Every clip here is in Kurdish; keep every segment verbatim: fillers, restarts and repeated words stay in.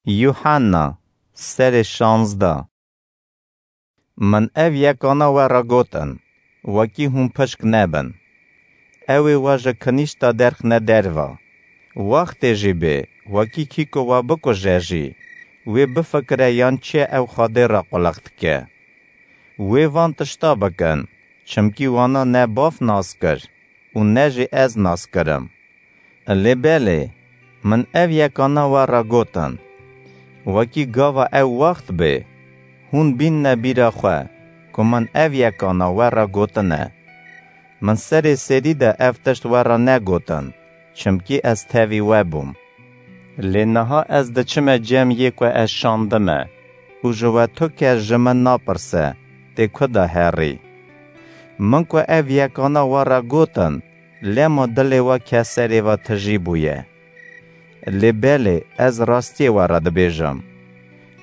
Yuhanna, serê şanzda. Min ev yekana we re gotin, wekî hûn pişk nebin. Ew ê we ji kinîşta derxine derva. Wextê jî bê, wekî kî ku we bikuje jî, wê bifikire yan çi ew Xwedê re qulex dike. Wê van tişta bikin, çimkî wana ne Bav nas kir û ne jî ez nas kirim. Lê belê, min ev yekana we re gotin, wekî gava ew wext bê, hûn bînne bîra xwe, ku min ev yekana we re gotine. Min serê serî de ev tişt we re negotin, çimkî ez tevî we bûm. Lê niha ez diçime cem yê ku ez şandime û ji we tu kes ji min napirse, tê ku de herî. Min ku ev yekana we re gotin, lema dilê we keserê ve tijî bûye. Lê belê, ez rastiyê we re dibêjim,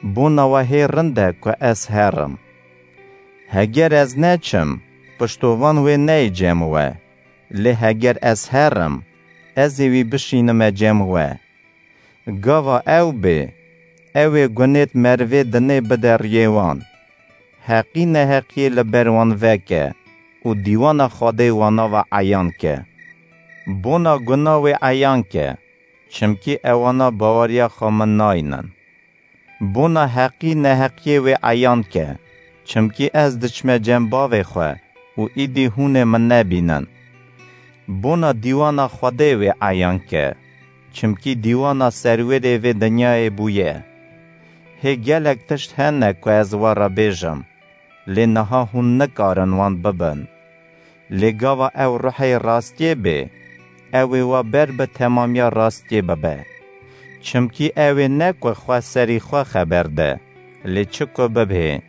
bona we hê rind e ku ez herim. Heger ez neçim, piştovan wê neyê cem we, lê heger ez herim, ez ê wî bişînime cem we. Gava ew bê, ew ê gunêt merivê dinê bide riyê wan. Heqî neheqiyê li ber wan veke û dîwana Xwedê wana ve eyan ke. Bona guna wê eyan ke, çimkî ewana baweriya xwe min naynin. Bona heqî neheqiyê wê eyan ke, çimkî ez diçime cem bavê xwe û îdî hûn ê min nebînin. Bona dîwana Xwedê wê eyan ke, çimkî dîwana serwerê vê dinyayê bûye. Hê gelek tişt hene ku ez we re bêjim, lê niha hûn nikarin wan bibin. Lê gava ew ruhê rastiyê bê, ew ê we ber bi temamiya rastiyê bibe. Çimkî ew ê ne ku xwe serî xwe xeber de, lê çi ku bibê.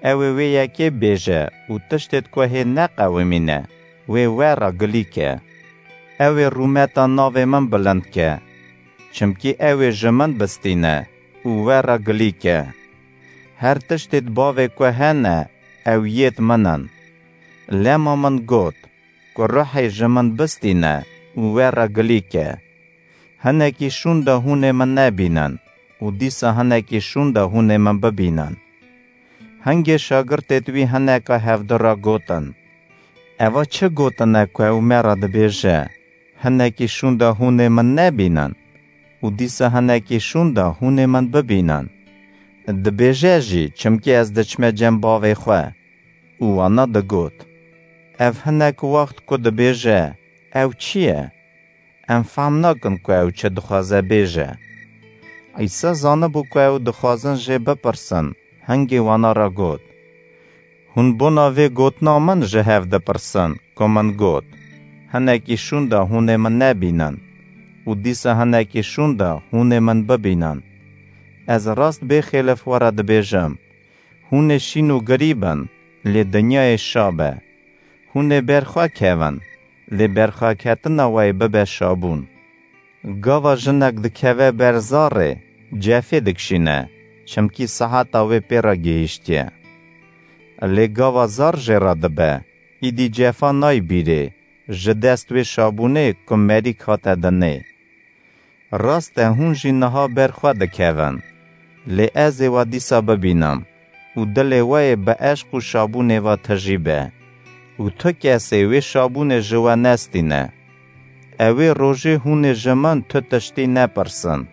Ew ê wê yekê bêje û tiştêt ku hê neqewimîne, wê we re gilî ke. Ew ê rûmeta navê min bilind ke, çimkî ew ê ji min bistîne û we re gilî ke. Her tiştêt bavê ku hene, ew yêt min in. Lema min got, ku ruhê ji min bistîne û we re gilî ke. Hinekî şûnda hûn ê min nebînin û dîsa hinekî şûnda hûn ê min bibînin. Hingê şagirtêt wî hineka hevdu re gotin, eva çi gotine ku ew me re dibêje, hinekî şûnda hûn ê min nebînin û dîsa hinekî şûnda hûn ê min bibînin? Dibêje jî, çimkî ez diçime cem bavê xwe. Û wana digot, ev hinek wext ku dibêje, ew çi ye? Em fehm nakin ku ew çi dixwaze bêje. Îsa zanibû ku ew dixwazin jê bipirsin, hingê wana re got, hûn bona vê gotina min ji hev dipirsin, ku min got, hinekî şûnda hûn ê min nebînin û dîsa hinekî şûnda hûn ê min bibînin. Ez rast bêxêlif we re dibêjim, hûn ê şîn û girî bin, lê dinyayê şa be. Hûn ê ber xwe kevin, lê berxweketina we yê bibe şabûn. Gava jinek dikeve ber zarê, cefê dikişîne, çimkî seheta wê pê re gihîştiye. Lê gava zar jê re dibe, îdî cefa nayê bîrê, ji dest wê şabûnê ku merîk hate dinê. Rast e, hûn jî niha ber xwe dikevin. Lê ez ê we dîsa bibînim û dilê we yê bi eşq û şabûnê ve tijî be û tu kesê wê şabûnê ji we nestîne. Ewê rojê hûn ê ji min tu tiştî nepirsin.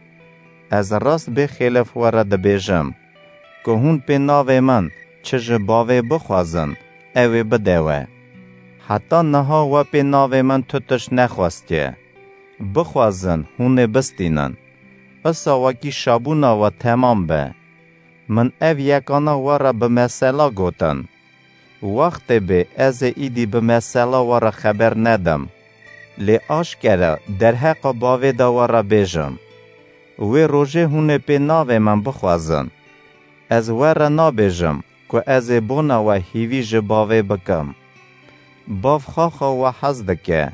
Ez rast bêxêlif we re dibêjim, ku hûn pê navê min çi ji bavê bixwazin, ew ê bide we. Heta niha we pê navê min tu tişt nexwestiye. Bixwazin, hûn ê bistînin. Isa wekî şabûna we temam be. Min ev yekana we re bi mesela gotin. Wextê bê ez ê îdî bi mesela we re xeber nedim. Lê aşkere derheqa bavê de we re bêjim. Wê rojê hûn ê pê navê min bixwazin. Ez we re nabêjim ku ez ê bona we hîvî ji bavê bikim. Bav xaxa we hez dike,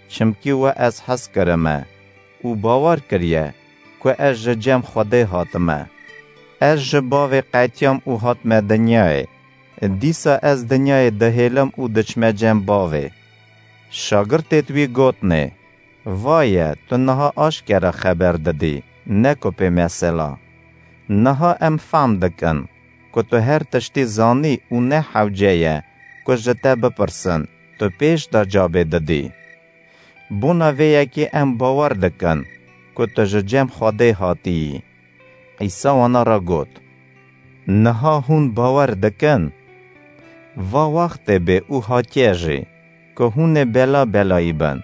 çimkî we ez hez kirime û bawer kiriye ku ez ji cem Xwedê hatime. Ez ji bavê qetiyam û hatime dinyayê. Dîsa ez dinyayê dihêlim û diçime cem bavê. Şagirtêt wî gotnê, vaye, tu niha aşkere xeber didî, ne ku pê mesela. Niha em fehm dikin ku tu her tiştî zanî û ne hewce ye ku ji te bipirsin, tu pêş de cabê didî. Bona vê yekê em bawer dikin ku tu ji cem Xwedê hatiyî. Îsa wana re got, Niha hûn bawer dikin? Va wextê bê û hatiye jî ku hûn ê bela belayî bin.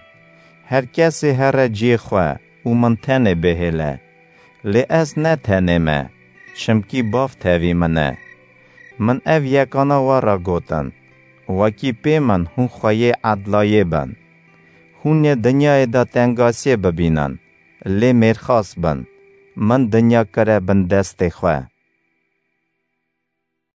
Her kesê here cihê xwe û min tenê bihêle. Lê ez ne tenê me, çimkî Bav tevî min e. Min ev yekana we re gotin, wekî pê min hûn xweyê edlayê bin. Hûn ê dinyayê de tengasiyê bibînin, lê mêrxas bin, min dinya kire bin destê xwe.